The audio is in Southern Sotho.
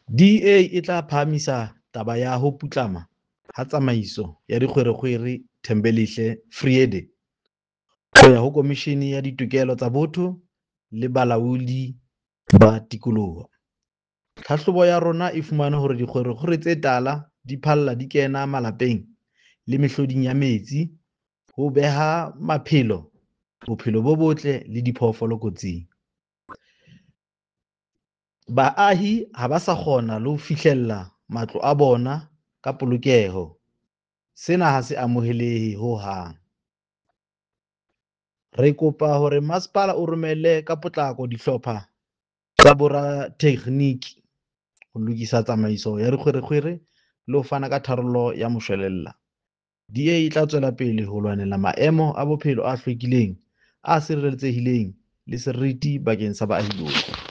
DA e tla phahamisa taba ya ho putlama ha tsamaiso ya dikgwerekgwere Thembelihle Vrede ho ya ho Komishini ya Ditokelo tsa Botho le Bolaodi ba Tikoloho. Tlhahlobo ya rona e fumane hore dikgwerekgwere tse tala di phalla di kena malapeng le mehloding ya metsi, ho beha maphelo, bophelo bo botle le diphoofolo kotsing. Baahi ha ba sa kgona le ho fihlella matlo a bona ka polokeho. Sena ha se amohelehe ho hang. Re kopa hore masepala o romele ka potlako dihlopha tsa boratekgeniki ho lokisa tsamaiso ya dikgwerekgwere le ho fana ka tharollo ya moshwelella. DA e tla tswela pele ho lwanela maemo a bophelo a hlwekileng, a sireletsehileng le seriti bakeng sa baahi bohle.